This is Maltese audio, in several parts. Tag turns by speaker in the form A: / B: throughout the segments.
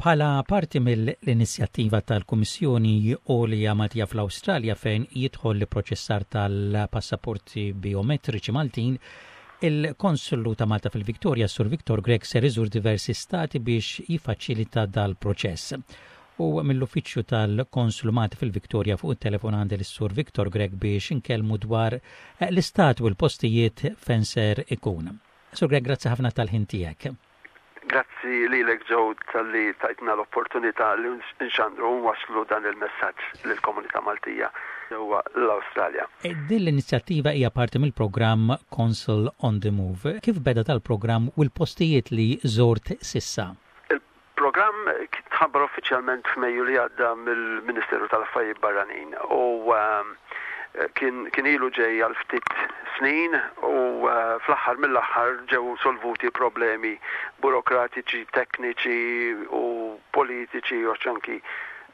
A: Bħala parti mill-inizjattiva tal-Kummissjoni Għolja Maltija fl-Awstralja fejn jidħol l-ipproċessar tal-passaporti biometriċi Maltin, il-Konslu ta' Malta fil-Victoria, Sur Victor Grech, ser iżur diversi stati biex jiffaċilita dal-proċess. U mill-uffiċċju tal-Konslu Malti fil-Victoria fuq it-telefon għandi lis-Sur Victor Grech biex inkellmu dwar l-istat u l-postijiet fejn ser ikun. Sur Grech, grazzi ħafna tal-ħin tiegħek.
B: Grazzi lilek Joe talli tajtna l-opportunità li nxandru u nwasslu dan il-messaġġ lill-komunità Maltija ġewwa l-Awstralja.
A: Din l-inizjattiva hija parti mill-programm Consul on the Move. Kif beda dal-programm u l-postijiet li żort s'issa?
B: Il-programm tħabbar uffiċjalment f'Mejju li għadda mill-Ministeru tal-Affarijiet Barranin u kien kien ilu ġej għal ftit snin u fl-aħħar mill-aħħar ġew solvuti problemi burokratiċi, tekniċi u politiċi u anki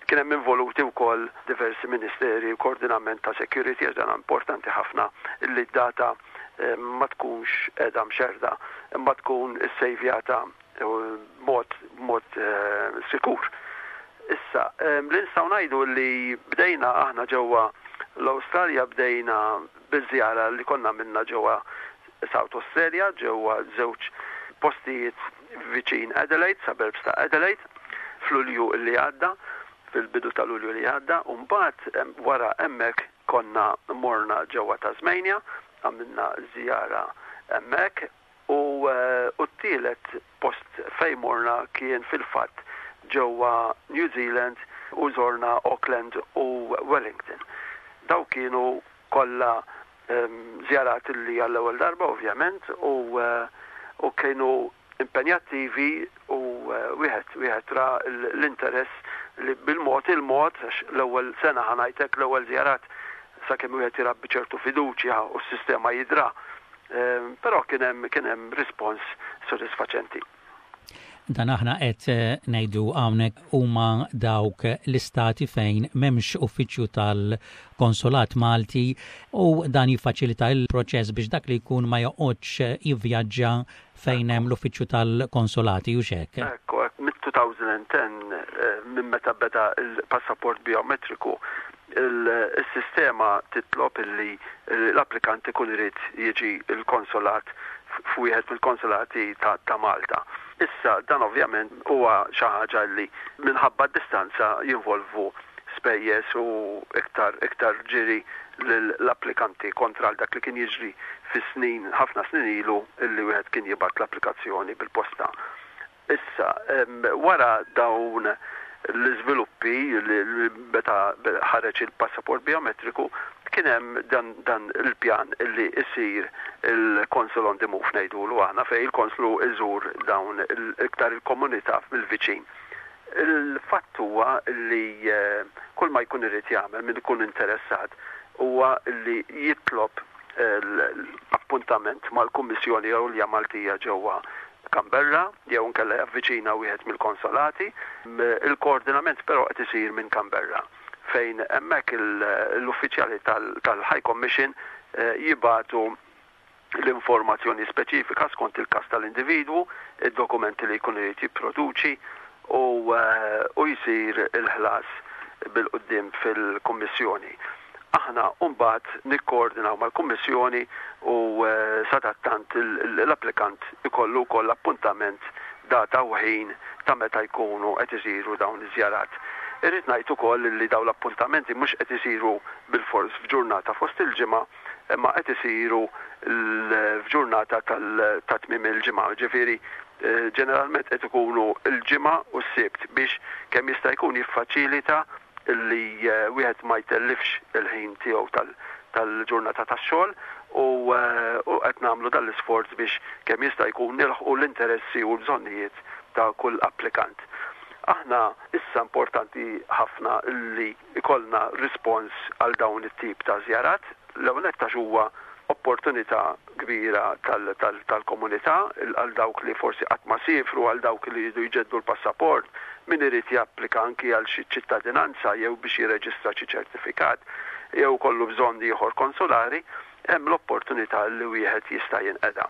B: kien hemm involuti wkoll diversi ministeri u koordinament ta' security għax dan importanti ħafna li d-data ma tkunx qiegħda mxerrda imma tkun issejvjata b'mod b'mod sikur. Issa, li nistgħu ngħidu li bdejna aħna ġewwa l-Awstralja bdejna biż-żjara li konna għamilna ġewwa South Australia, ġewwa żewġ postijiet viċin Adelaide, suburbs ta' Adelaide, f'Lulju li għadda, fil-bidu ta' Lulju li għadda, u mbagħad wara hemmhekk konna morna ġewwa Tasmania, għamilna żjara hemmhekk. U t-tielet post fejn morna kien fil-fatt ġewwa New Zealand u żorna Auckland u Wellington. Dawk kienu kollha żjarat li għall-ewwel darba ovvjament u kienu impenjattivi u wieħed wieħed ra l-interess li bil-mod il-mod għax l-ewwel sena ħa ngħid hekk l-ewwel żjarat sakemm wieħed irabbi ċertu fiduċja u s-sistema jidra Però kien hemm kien hemm rispons sodisfaċenti.
A: Dan aħna qed ngħidu hawnhekk huma dawk l-istati fejn m'hemmx uffiċċju tal-Konsolat Malti u dan jiffaċilita l-proċess biex dak li jkun ma joqgħodx jivvjaġġa fejn hemm l-uffiċċju tal-konsolati hux hekk?
B: Ekku, hekk mit-2010 minn meta beda l-passaport biometriku Is-sistema titlob illi l-applikant ikun irid jiġi l-konsolat f'wieħed mill-konsolati ta' Malta. Issa dan ovvjament huwa xi ħaġa li minħabba d-distanza jinvolvu spejjeż u iktar iktar ġiri lill-applikanti kontra għal dak li kien jiġri fi snin ħafna snin ilu illi wieħed kien jibgħat l-applikazzjoni bil-posta. Issa, wara dawn l-iżviluppi li meta ħareġ il-passaport biometriku, kien hemm dan, dan il-pjan li jsir il-Consul on the Move ngħidulu aħna fejn il-Konslu jżur dawn iktar il-komunità mill-viċin. Il-fatt huwa li kull ma jkun irid jagħmel min ikun interessat huwa li jitlob l-appuntament mal-Kummissjoni Għolja Maltija ġewwa Canberra jew inkella javviċina wieħed mill-konsolati. Il-koordinament però qed isir minn Canberra fejn hemmhekk l-uffiċjali tal-High Commission jibagħtu l-informazzjoni speċifika skont il-każ tal-individwu, id-dokumenti li jkun irid jipproduċi u jsir il-ħlas bil-quddiem fil-Kummissjoni. Aħna mbagħad nikkoordinaw mal-Kummissjoni u sadattant l-applikant ikollu wkoll appuntament data u ħin ta' meta jkunu qed isiru dawn iż-żjarat. Irrid ngħid ukoll li dawn l-appuntamenti mhux qed isiru bilfors f'ġurnata fost il-ġimgħa imma qed isiru f'ġurnata ta' tmiem il-ġimgħa, jiġifieri ġeneralment qed ikunu l-Ġimgħa u s-Sibt biex kemm jista' jkun jiffaċilita li wieħed ma jtellifx il-ħin tiegħu tal-ġurnata tax-xogħol u qed nagħmlu dan l-isforz biex kemm jista' jkun nilħqu l-interessi u l-bżonnijiet ta' kull applikant. Aħna issa importanti ħafna li jkollna rispons għal dawn it-tip ta' żjarat, l-ewwel nett għax huwa opportunità kbira tal-komunità għal dawk li forsi qatt ma siefru, għal dawk li jridu jġeddu l-passaport, min irid japplika anki għal xi ċittadinanza jew biex jirreġistra xi ċertifikat jew ikollu bżonn ieħor konsulari, hemm l-opportunità li wieħed jista' jinqeda.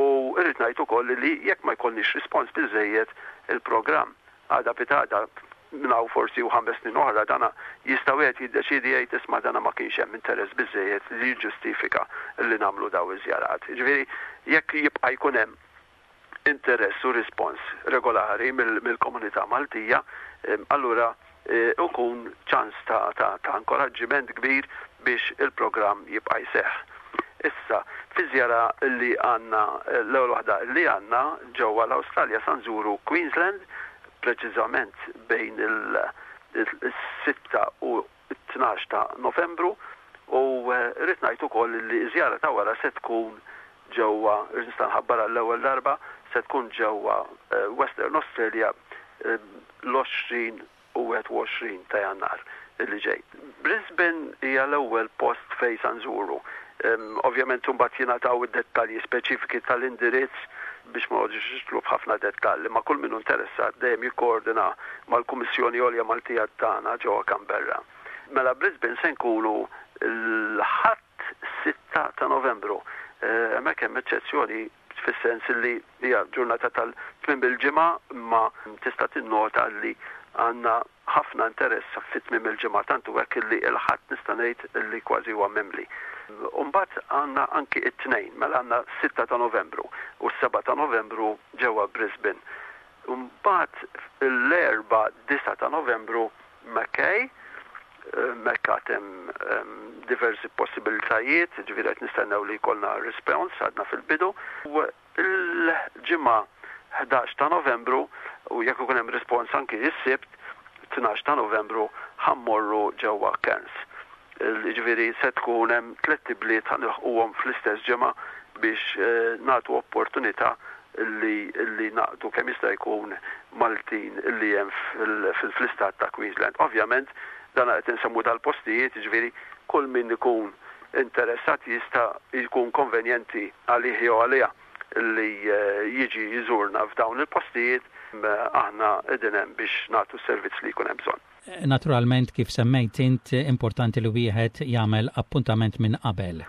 B: U rrid ngħid ukoll li jekk ma jkollniex rispons biżżejjed, il-programm. Għada pitgħada minn hawn forsi u 5 snin oħra dana jista' wieħed jiddeċiedi jgħid, "Isma', dana ma kienx hemm interess biżejjed li jiġġustifika li nagħmlu daw iż-żjarat." Ġifieri jekk jibqa' jkun hemm interess u rispons regolari mill-komunità Maltija, allura ikun ċans ta' inkoraġġiment kbir biex il-programm jibqa' jseħħ. Issa, fi żjara li għandna, l-ewwel waħda li għandna ġewwa l-Awstralja, sa nżuru Queensland, preċiżament bejn il-6 u 12 ta' Novembru, u rrid ngħid ukoll li żjara ta' wara se tkun ġewwa, nista' nħabbar għall-ewwel darba, se tkun ġewwa Western Australia l-20 u 21 ta' Jannar li ġej. Brisbane hija l-ewwel post fejn sa nżuru. Ovvjament imbagħad jingħataw id-dettalji speċifiki tal-indirizz biex ma noqgħodux nidħlu f'ħafna dettalji, ma kull min interessat dejjem jikkoordina mal-Kummissjoni Għolja Maltija tagħna ġewwa Canberra. Mela Brisbane se nkunu l-Ħadd 6 ta' Novembru. Hemmhekk hemm eċċezzjoni fis-sens li hija ġurnata tal-tmiem il-ġimgħa, imma tista' tinnota li għandna ħafna interess fit tmiem il-ġimgħa, tant hu hekk li l-Ħadd nista' ngħid li kważi huwa mimli. Mbagħad għandna anki it-Tnejn, mela għandna 6 ta' Novembru u s-7 ta' Novembru ġewwa Brisbane. Mbagħad l-Erbgħa 9 ta' Novembru Mackay, Mekka hemm diversi possibilitajiet, ġifieri qed nistennew li jkollna response, għadna fil-bidu. U l-Ġimgħa 11 ta' Novembru, u jekk ikun hemm respons anki s-Sibt 12 ta' Novembru, ħa mmorru ġewwa Cairns. Ġifieri se tkun hemm tliet ibliet ħa nilħquhom fl-istess ġimgħa biex nagħtu opportunità li naqdu kemm jista' jkun Maltin li hemm fl-istat ta' Queensland. Ovvjament dan qed insemmu dal-postijiet, ġifieri kull min ikun interessat jista' jkun konvenjenti għalih jew għaliha li jiġi jżurna f'dawn il-postijiet, aħna qegħdin hemm biex nagħtu s-servizz li jkun hemm bżonn.
A: Naturalment, kif semmejt int, importanti li wieħed jagħmel appuntament minn qabel.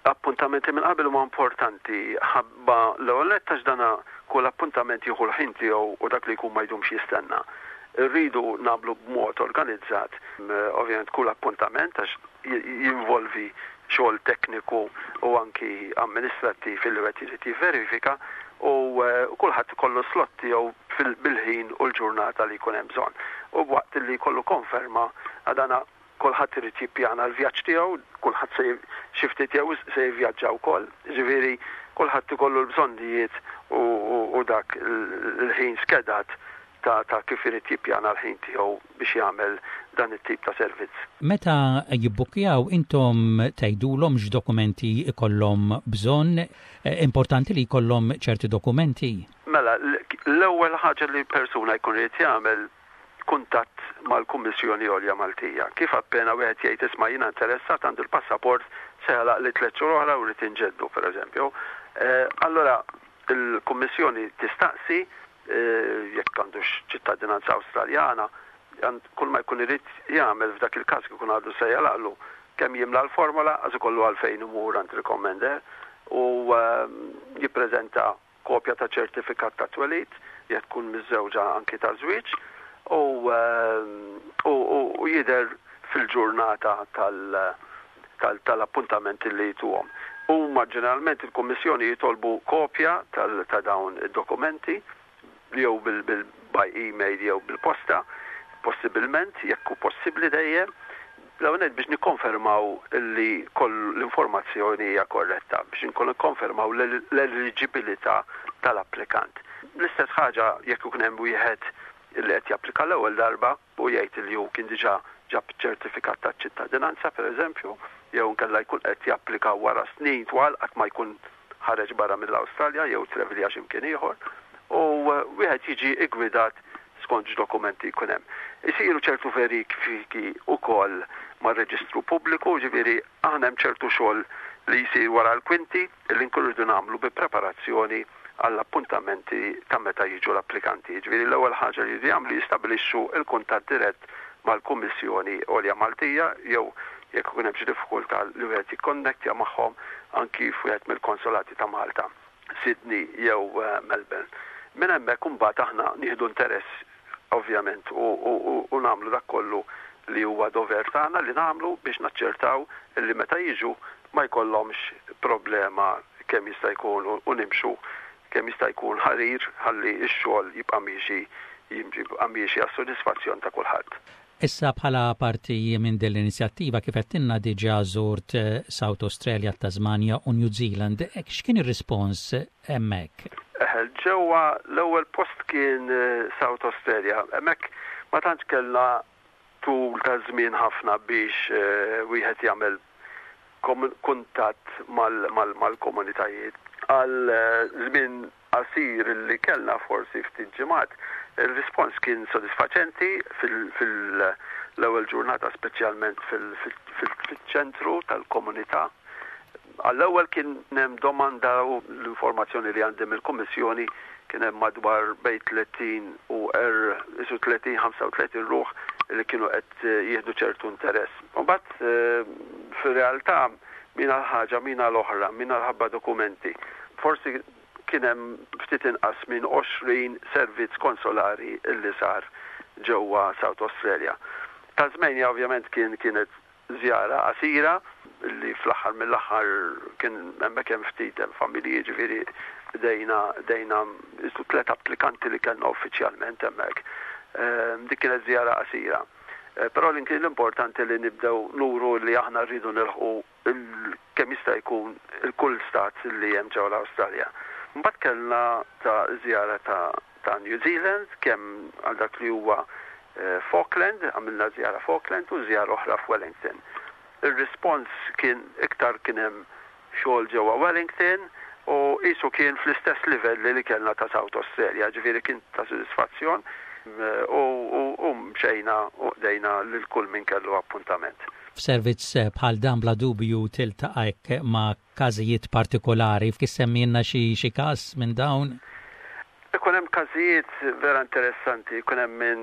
B: Appuntamenti minn qabel huma importanti ħabba l-ewwel nett għax dana kull appuntament jieħu l-ħin tiegħu u dak li jkun ma jdumx jistenna. Irridu nagħmlu b'mod organizzat, ovvjament, kull appuntament għax jinvolvi xogħol tekniku u anki amministrattiv li wieħed irid jivverifika u kulħadd ikollu slot tiegħu bil-ħin u l-ġurnata li jkun hemm bżonn. U waqt li jkollu konferma għadana kulħadd irid jippjana l-vjaġġ tiegħu, kulħadd se xi ftit jew se jivvjaġġa wkoll, ġifieri kulħadd ikollu l-bżonnijiet u dak il-ħin skedat ta' kif irid jippjana l-ħin tiegħu biex jagħmel dan it-tip ta' servizz.
A: Meta jibbukkjaw, intom tgħidulhom x'dokumenti jkollhom bżonn, importanti li jkollhom ċerti dokumenti?
B: Mela, l-ewwel ħaġa li persuna jkun irid jagħmel kuntatt mal-Kummissjoni Għolja Maltija. Kif appena wieħed jgħid, "Isma', jiena interessat, għandi l-passaport, se jagħlaq li 3 xhur oħra u rrid inġeddu", pereżempju. Allora il-Kummissjoni tistaqsi jekk għandux ċittadinanza Awstraljana, kull ma jkun irid jagħmel f'dak il-każ ikun għadu se jagħlaqlu kemm jimla l-formola, għax ikollu għalfejn imur għand recommender u jippreżenta kopja ta' ċertifikat ta' twelid, jekk tkun miżżewġa anki ta' żwieġ, u jidher fil-ġurnata tal-appuntamenti li jtuhom. Huma ġeneralment il-Kummissjoni jitolbu kopja ta' dawn id-dokumenti jew by email jew bil-posta, possibilment, jekk hu possibbli dejjem, l-ewwel biex nikkonfermaw li koll l-informazzjoni hija korretta, biex nkun nikkonfermaw l-eligibilità tal-applikant. L-istess ħaġa jekk ikun hemm wieħed li qed japplika l-ewwel darba u jgħid li hu kien diġà ġab ċertifikat ta' ċittadinanza, pereżempju, jew inkella jkun qed japplika wara snin twal qatt ma jkun ħareġ barra mill-Awstralja jew travelja x'imkien ieħor u wieħed jiġi igwidat skont x'dokumenti jkun hemm. Isiru ċertu verifiki wkoll mar-reġistru pubbliku, ġifieri aħna hemm ċertu xogħol li jsir wara l-kwinti li nkunu rridu nagħmlu bi preparazzjoni għall-appuntamenti ta' meta jiġu l-applikanti. Ġifieri l-ewwel ħaġa li jridu jagħmlu, jistabilixxu l-kuntatt dirett mal-Kummissjoni Għolja Maltija jew jekk ikun hemm xi diffikultà li wieħed jikkonnettja magħhom anki f'wieħed mill-konsolati ta' Malta, Sydney jew Melbourne. Minn hemmhekk imbagħad aħna nieħdu interess. ovvjament u nagħmlu dak kollu li huwa dover tagħna li nagħmlu biex naċċertaw li meta jiġu ma jkollhomx problema kemm jista' jkun u nimxu kemm jista' jkun ħarir ħalli x-xogħol jibqa' miexi jibqa' miexi għas-sodisfazzjon ta' kulħadd.
A: Issa bħala parti minn din l-inizjattiva kif għedtilna diġà żort South Australia, Tasmania u New Zealand. X'kien ir-rispons hemmhekk?
B: Eħe, ġewwa l-ewwel post kien South Australia. Hemmhekk ma tantx kellna tul ta' żmien ħafna biex wieħed jagħmel kuntatt mal-komunitajiet. Għal żmien qasir li kellna, forsi ftit ġimgħat, ir-rispons kien sodisfaċenti fil-ewwel ġurnata speċjalment fil-ċentru tal-komunità. Għall-ewwel kien hemm domanda u l-informazzjoni li għandi mill-Kummissjoni kien hemm madwar bejn 30 u isu 30, 35 ruħ li kienu qed jieħdu ċertu interess. Imbagħad fir-realtà min għal ħaġa, min għal oħra, min għal ħabba dokumenti. Forsi kien hemm ftit inqas minn 20 servizz konsolari li sar ġewwa South Australia. Tasmania ovvjament kien kienet żjara qasira li fl-aħħar mill-aħħar kien hemmhekk hemm ftit hemm familji ġifieri bdejna bdejna isu tliet applikanti li kellna uffiċjalment hemmhekk. Dik kienet żjara qasira. Però li kien l-importanti li nibdew nuru li aħna rridu nilħqu kemm jista' jkun il-kull stat li hemm ġewwa l-Awstralja. Mbagħad kellna ta' żjara ta' ta' New Zealand, kemm għal dak li huwa f'Auckland, għamilna żjara f'Auckland u żjara oħra f'Wellington. Ir-rispons kien iktar kien hemm xogħol ġewwa Wellington u qisu kien fl-istess livelli li kellna ta' South Australia, ġifieri kien ta' sodisfazzjon u mxejna u qdejna lil kull min kellu appuntament.
A: F'servizz bħal dan bla dubju tiltaqa' hekk ma' każijiet partikolari. Issemmilna xi xi każ minn dawn?
B: Ikun hemm każijiet vera interessanti, ikun hemm min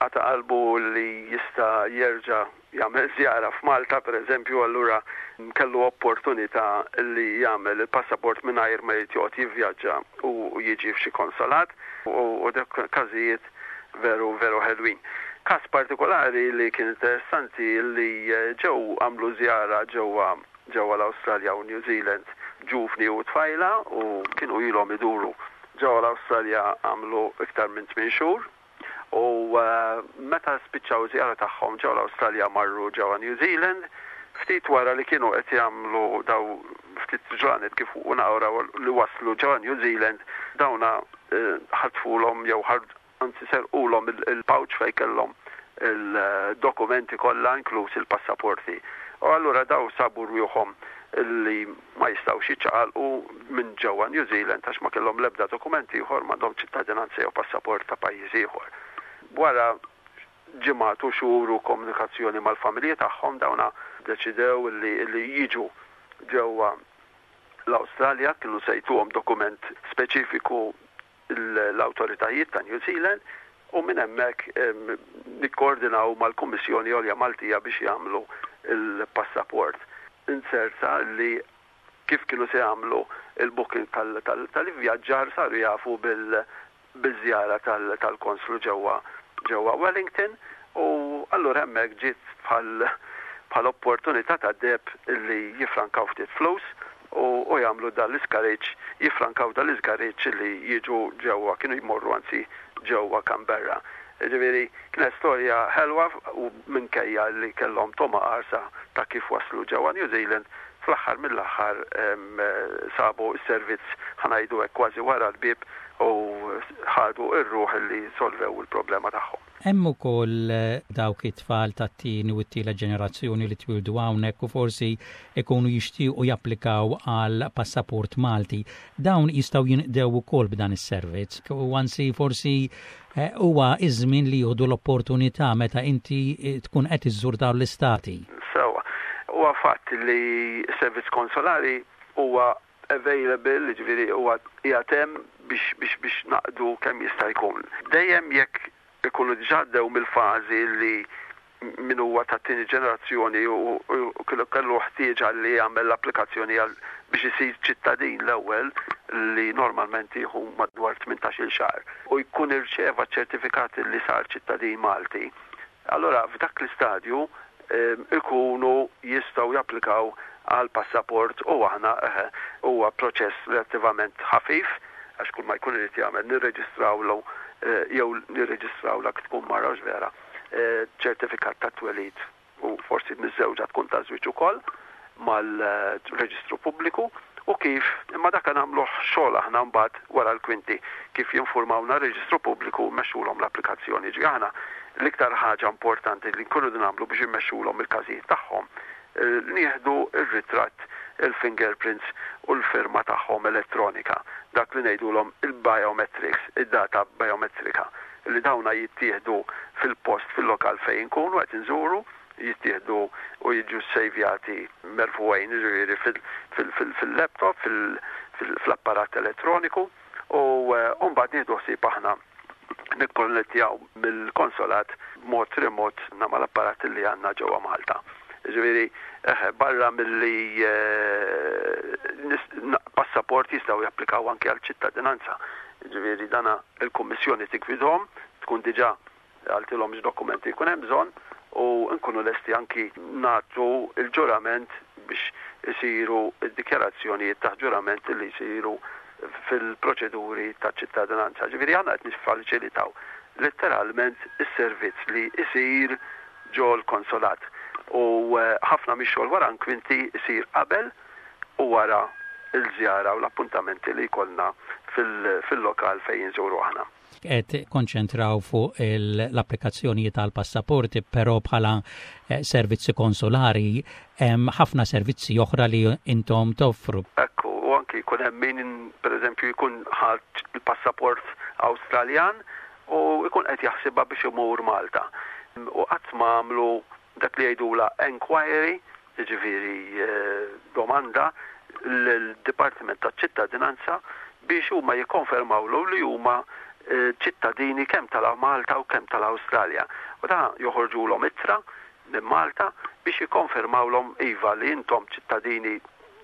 B: qata' qalbu li jista' jerġa' jagħmel żjara f'Malta pereżempju, allura kellu opportunità li jagħmel il-passaport mingħajr ma jrid joqgħod jivvjaġġa u jiġi f'xi konsolat u dak każijiet veru veru ħelwin. Każ partikolari li kien interessanti li ġew għamlu żjara ġewwa ġewwa l-Awstralja u New Zealand ġuvni u tfajla u kienu ilhom iduru ġewwa l-Awstralja għamlu iktar minn 8 xhur u meta spiċċaw żjara tagħhom ġewwa l-Awstralja marru ġewwa New Zealand. Ftit wara li kienu qed jagħmlu daw ftit ġranet kif u naqraw li waslu ġewwa New Zealand dawna ħatfulhom jew anzi serqulhom il-pouch fejn kellhom il-dokumenti kollha inkluż il-passaporti. U allura daw sabu rwieħhom li ma jistgħux jiċċaqalqu minn ġewwa New Zealand għax ma kellhom l-ebda dokumenti ieħor m'għandhom ċittadinanza jew passaport ta' pajjiż ieħor. Wara ġimgħat u xhur u komunikazzjoni mal-familji tagħhom dawna deċidew li, li jiġu ġewwa l-Awstralja kienu se jtuhom dokument speċifiku l-awtoritajiet ta' New Zealand u minn hemmhekk nikkoordinaw mal-Kummissjoni Għolja Maltija biex jagħmlu il-passaport. Inzerta li kif kienu se jagħmlu il-booking tal-ivvjaġġar saru jafu bil-żjara tal-konslu ġewwa ġewwa Wellington u allura hemmhekk ġiet bħal bħal opportunità ta' deheb li jifrankaw ftit flus u jagħmlu dan l-iskariġġ, jifrankaw dan l-iżgariġġ li jiġu ġewwa, kienu jmorru anzi ġewwa Canberra. Ġifieri kienet storja ħelwa u minkejja li kellhom togħma qarsa ta' kif waslu ġewwa New Zealand, fl-aħħar mill-aħħar sabu s-servizz ħa ngħidu hekk kważi wara l-bieb u ħadu r-ruħ li solvew il-problema tagħhom.
A: Hemm ukoll dawk it-tfal tat-tieni u t-tielet ġenerazzjoni li twieldu hawnhekk u forsi ikunu jixtiequ japplikaw għal passaport Malti. Dawn jistgħu jinqdew ukoll b'dan is-servizz u anzi forsi huwa iż-żmien li jieħdu l-opportunità meta inti tkun qed iżżur dawn l-istati.
B: Sewwa. Huwa fatt li s-servizz konsolari huwa available, jiġifieri huwa qiegħed hemm biex biex biex naqdu kemm jista' jkun. Dejjem jekk ikunu diġà għaddew mill-fażi li min huwa tat-tieni ġenerazzjoni u kellu ħtieġa li jagħmel l-applikazzjoni għal biex isir ċittadin l-ewwel. li normalment jieħu madwar 18-il xahar u jkun irċeva ċertifikat li sar ċittadin Malti, allura f'dak l-istadju ikunu jistgħu japplikaw għal passaport u aħna huwa proċess relattivament ħafif għax kull ma jkun irid jagħmel nirreġistrawlu jew nirreġistrawlha tkun mara vera ċertifikat ta' twelid u forsi miżżewġa tkun ta' żwieġ ukoll mal-reġistru pubbliku u kif imma dak nagħmluh xogħol aħna mbagħad wara l-kwinti kif jinformawna r-reġistru pubbliku mmexxulhom l-applikazzjoni. Ġi aħna l-iktar ħaġa importanti li nkunu nagħmlu biex immexxulhom il-każijiet tagħhom nieħdu ir-ritratt, il-fingerprints u l-firma tagħhom elettronika, dak li ngħidulhom il-biometrics, id-data biometrika li dawna jittieħdu fil-post fil-lokal fejn nkunu qed inżuru, jittieħdu u jiġu sejvjati merfugħin ġifieri fil-laptop, fil-apparat elettroniku u mbagħad nieħdu ħsieb aħna nikkonnettjaw mill-konsolat b'mod remot mal-apparat li għandna ġewwa Malta. Ġifieri, barra milli passaport jistgħu japplikaw anke għal ċittadinanza. Ġifieri dana il-Kummissjoni tigwidhom, tkun diġà qaltilhom x'dokumenti jkun hemm bżonn u nkunu lesti anki nagħtu il-ġurament biex isiru id-dikjarazzjonijiet ta' ġurament li jsiru fil-proċeduri ta' ċittadinanza. Ġifieri aħna qed niffaċilitaw letteralment is-servizz li isir ġo l-konsolat. U ħafna mix-xogħol wara l-kwinti isir qabel u wara il-żjara u l-appuntamenti li jkollna fil-lokal fejn jinżuru aħna.
A: Qed konċentraw fuq l-applikazzjonijiet tal-passaporti, però bħala servizzi konsolari hemm ħafna servizzi oħra li intom toffru.
B: Ekku, u anki jkun hemm min pereżempju jkun ħadd il-passaport Awstraljan u jkun qed jaħsibha biex imur Malta. U qatt ma għamlu dak li jgħidula enquiry, jiġifieri domanda l-Dipartiment taċ-Ċittadinanza biex huma jikkonfermawlu li huma ċittadini kemm tal-Malta u kemm tal-Awstralja. U da joħorġulhom ittra minn Malta biex jikkonfermawlhom iva li intom ċittadini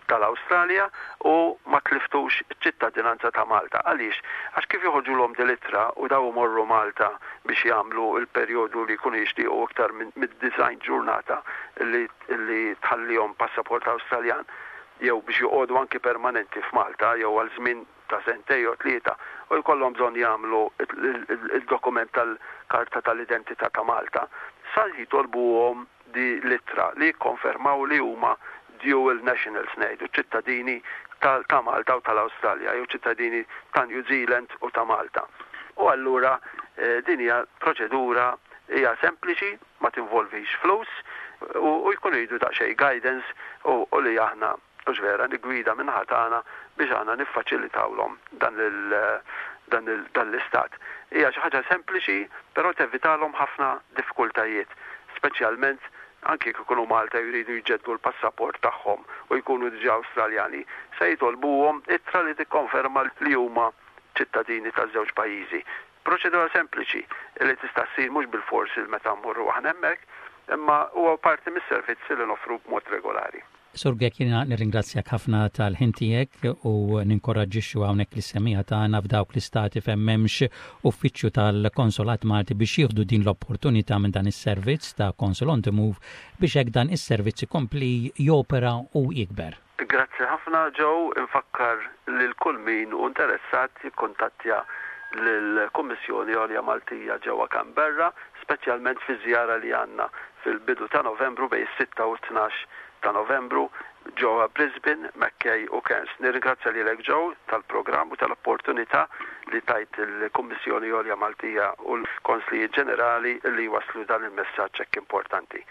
B: tal-Awstralja u ma tliftux ċittadinanza ta' Malta. Għaliex? Għax kif joħorġulhom din l-ittra u daw morru Malta biex jagħmlu il-perjodu li jkunu jixtiequ iktar mid-90 ġurnata li, li tħallihom passaport Awstraljan jew biex joqogħdu anki permanenti f'Malta jew għal żmien ta' sentej jew 3 u jkollhom bżonn jagħmlu il-dokument tal-karta tal-identità ta' Malta, sa jitolbuhom din l-ittra li jikkonfermaw li huma dual nationals ngħidu ċittadini ta' Malta u tal-Awstralja jew ċittadini ta' New Zealand u ta' Malta. U allura din hija proċedura hija sempliċi, ma tinvolvix flus u jkunu jridu daqsxejn guidance u li aħna u vera nigwida min-naħa tagħna biex aħna niffaċilitawlhom dan l-istat. Hija xi ħaġa sempliċi, però tevitalhom ħafna diffikultajiet, speċjalment anki jekk ikunu Malta jridu jġeddu l-passaport tagħhom u jkunu diġà Awstraljani, se jitolbuhom ittra li tikkonferma li huma ċittadini taż-żewġ pajjiżi. Proċedura sempliċi li tista' ssir mhux bil-forsi meta mmorru aħna hemmhekk, imma huwa parti mis-servizzi li noffru b'mod regolari.
A: Sur Grech, jiena nirringrazzjak ħafna tal-ħin tiegħek u ninkoraġġixxu hawnhekk lis-semmiegħa tagħna f'dawk l-istati fejn m'hemmx uffiċċju tal-Konsolat Malti biex jieħdu din l-opportunità minn dan is-servizz ta' Consul on the Move biex hekk dan is-servizz ikompli jopera u jikber.
B: Grazzi ħafna Joe, infakkar lil kull min hu interessat jikkuntattja lill-Kummissjoni Għolja Maltija ġewwa Canberra, speċjalment fi żjara li għandna fil-bidu ta' Novembru bejn is-6 u 12 ta' Novembru ġewwa Brisbane, Mackay u Cairns. Nirringrazzja lilek Joe tal-programm u tal-opportunità li tajt il-Kummissjoni Għolja Maltija u l-Konslijiet Ġenerali li waslu dan il-messaġġ hekk importanti.